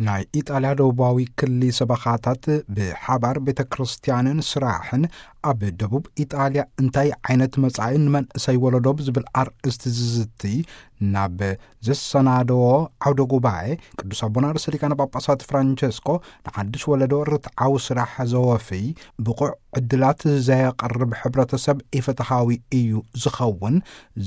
ናይ ኢጣልያ ደቡባዊ ክሊ ሰበኻታት ብሓባር ቤተ ክርስቲያንን ስራሕን ኣብ ደቡብ ኢጣልያ እንታይ ዓይነት መጻኢ ንመንእሰይ ወለዶ ብዝብል ኣርእስቲ ዝዝቲ ናብ ዘሰናደዎ ዓውደ ጉባኤ፣ ቅዱስ ኣቦና ርእሰ ሊቃነ ጳጳሳት ፍራንቸስኮ ንሓድሽ ወለዶ ርትዓዊ ስራሕ ዘወፍይ ብቑዕ ዕድላት ዘየቕርብ ሕብረተሰብ ኢፍትሓዊ እዩ ዝኸውን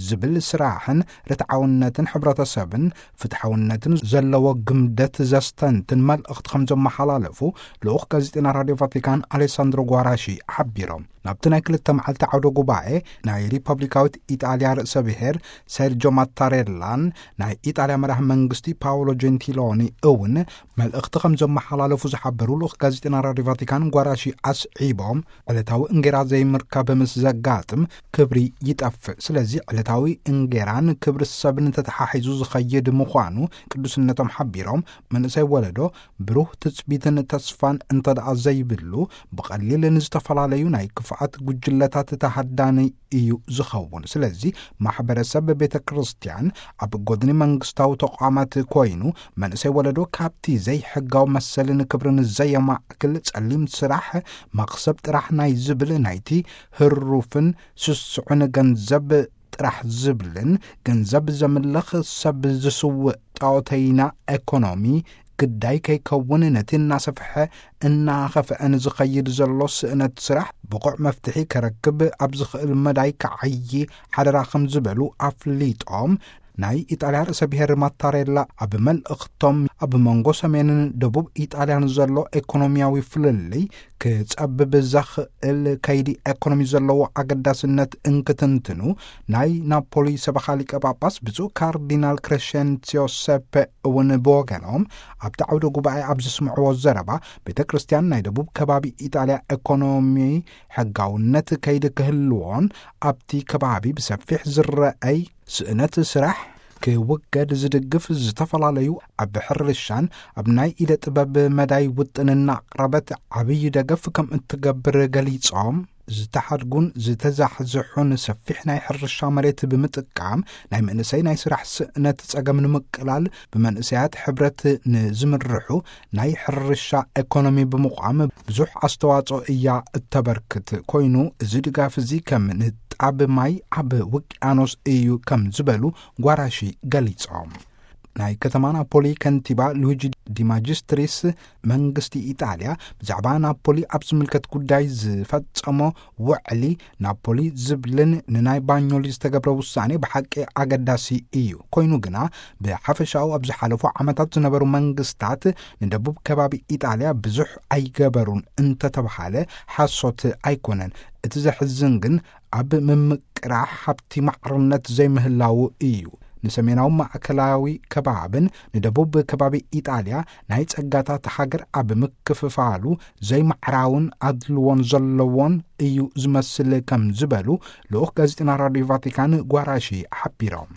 ዝብል ስራሕን ርትዓውነትን ሕብረተሰብን ፍትሓውነትን ዘለዎ ግምደት ዘስተንትን መልእኽቲ ከም ዘመሓላለፉ ልኡኽ ጋዜጠና ራድዮ ቫቲካን ኣሌሳንድሮ ጓራሺ ሓቢሮም። ናብቲ ናይ ክልተ መዓልቲ ዓውደ ጉባኤ ናይ ሪፐብሊካዊት ኢጣልያ ርእሰ ብሔር ሴርጆ ማታሬላን ናይ ኢጣልያ መራሒ መንግስቲ ፓውሎ ጀንቲሎኒ እውን መልእኽቲ ከም ዘመሓላለፉ ዝሓበሩ ልኡኽ ጋዜጠና ራድዮ ቫቲካን ጓራሺ ኣስዒቦም፣ ዕለታዊ እንጌራ ዘይምርካብ ምስ ዘጋጥም ክብሪ ይጠፍእ። ስለዚ ዕለታዊ እንጌራን ክብሪ ሰብን ተተሓሒዙ ዝኸይድ ምዃኑ ቅዱስነቶም ሓቢሮም፣ መንእሰይ ወለዶ ብሩህ ትጽቢትን ተስፋን እንተ ደኣ ዘይብሉ፣ ብቐሊል ንዝተፈላለዩ ናይ ክፍኣት ጉጅለታት ተሃዳኒ እዩ ዝኸውን። ስለዚ ማሕበረሰብ ቤተ ክርስቲያን ኣብ ጎድኒ መንግስታዊ ተቋማት ኮይኑ፣ መንእሰይ ወለዶ ካብቲ ዘይሕጋዊ መሰልን ክብርን ዘየማእክል ጸሊም ስራሕ፣ መኽሰብ ጥራሕ ናይ ዝብል ናይቲ ህሩፍን ስስዑን ገንዘብ ጥራሕ ዝብልን ገንዘብ ዘምልኽ ሰብ ዝስውእ ጣዖተይና ኤኮኖሚ ግዳይ ከይከውን፣ ነቲ እናሰፍሐ እናኸፍአ ንዝኸይድ ዘሎ ስእነት ስራሕ ብቑዕ መፍትሒ ከረክብ ኣብ ዝኽእል መዳይ ክዓዪ ሓደራ ከም ዝበሉ ኣፍሊጦም፣ ናይ ኢጣልያ ርእሰ ብሔር ማታሬላ ኣብ መልእኽቶም፣ ኣብ መንጎ ሰሜንን ደቡብ ኢጣልያን ዘሎ ኤኮኖሚያዊ ፍልልይ ክጸብብ ዘኽእል ከይዲ ኤኮኖሚ ዘለዎ ኣገዳስነት እንክትንትኑ፣ ናይ ናፖሊ ሰበኻ ሊቀ ጳጳስ ብፁዕ ካርዲናል ክሬሸንሲዮ ሴፔ እውን ብወገኖም፣ ኣብቲ ዓውደ ጉባኤ ኣብ ዘስምዕዎ ዘረባ፣ ቤተ ክርስቲያን ናይ ደቡብ ከባቢ ኢጣልያ ኤኮኖሚ ሕጋውነት ከይዲ ክህልዎን፣ ኣብቲ ከባቢ ብሰፊሕ ዝረኣይ ስእነት ስራሕ ክውገድ ዝድግፍ፣ ዝተፈላለዩ ኣብ ሕርሻን ኣብ ናይ ኢደ ጥበብ መዳይ ውጥንና ኣቕረበት ዓብዪ ደገፍ ከም እትገብር ገሊጾም፣ ዝተሓድጉን ዝተዛሕዝሑን ሰፊሕ ናይ ሕርሻ መሬት ብምጥቃም፣ ናይ መንእሰይ ናይ ስራሕ ስእነት ጸገም ንምቅላል፣ ብመንእሰያት ሕብረት ንዝምርሑ ናይ ሕርሻ ኤኮኖሚ ብምቋም ብዙሕ ኣስተዋጽኦ እያ እተበርክት። ኮይኑ፣ እዚ ድጋፍ እዚ ከም ንጣብ ማይ ኣብ ውቅያኖስ እዩ ከም ዝበሉ ጓራሺ ገሊጾም። ናይ ከተማ ናፖሊ ከንቲባ ሉዊጂ ዲማጅስትሪስ፣ መንግስቲ ኢጣልያ ብዛዕባ ናፖሊ ኣብ ዝምልከት ጉዳይ ዝፈጸሞ ውዕሊ ናፖሊ ዝብልን ንናይ ባኞሊ ዝተገብረ ውሳኔ ብሓቂ ኣገዳሲ እዩ። ኮይኑ ግና፣ ብሓፈሻኡ ኣብ ዝሓለፉ ዓመታት ዝነበሩ መንግስታት ንደቡብ ከባቢ ኢጣልያ ብዙሕ ኣይገበሩን እንተተብሃለ ሓሶት ኣይኮነን። እቲ ዘሕዝን ግን ኣብ ምምቅራሕ ሃብቲ ማዕርነት ዘይምህላዉ እዩ። ንሰሜናዊ ማእከላዊ ከባብን ንደቡብ ከባቢ ኢጣልያ ናይ ጸጋታት ሃገር ኣብ ምክፍፋሉ ዘይማዕራውን ኣድልዎን ዘለዎን እዩ ዝመስል ከም ዝበሉ ልኡኽ ጋዜጠና ራድዮ ቫቲካን ጓራሺ ሓቢሮም።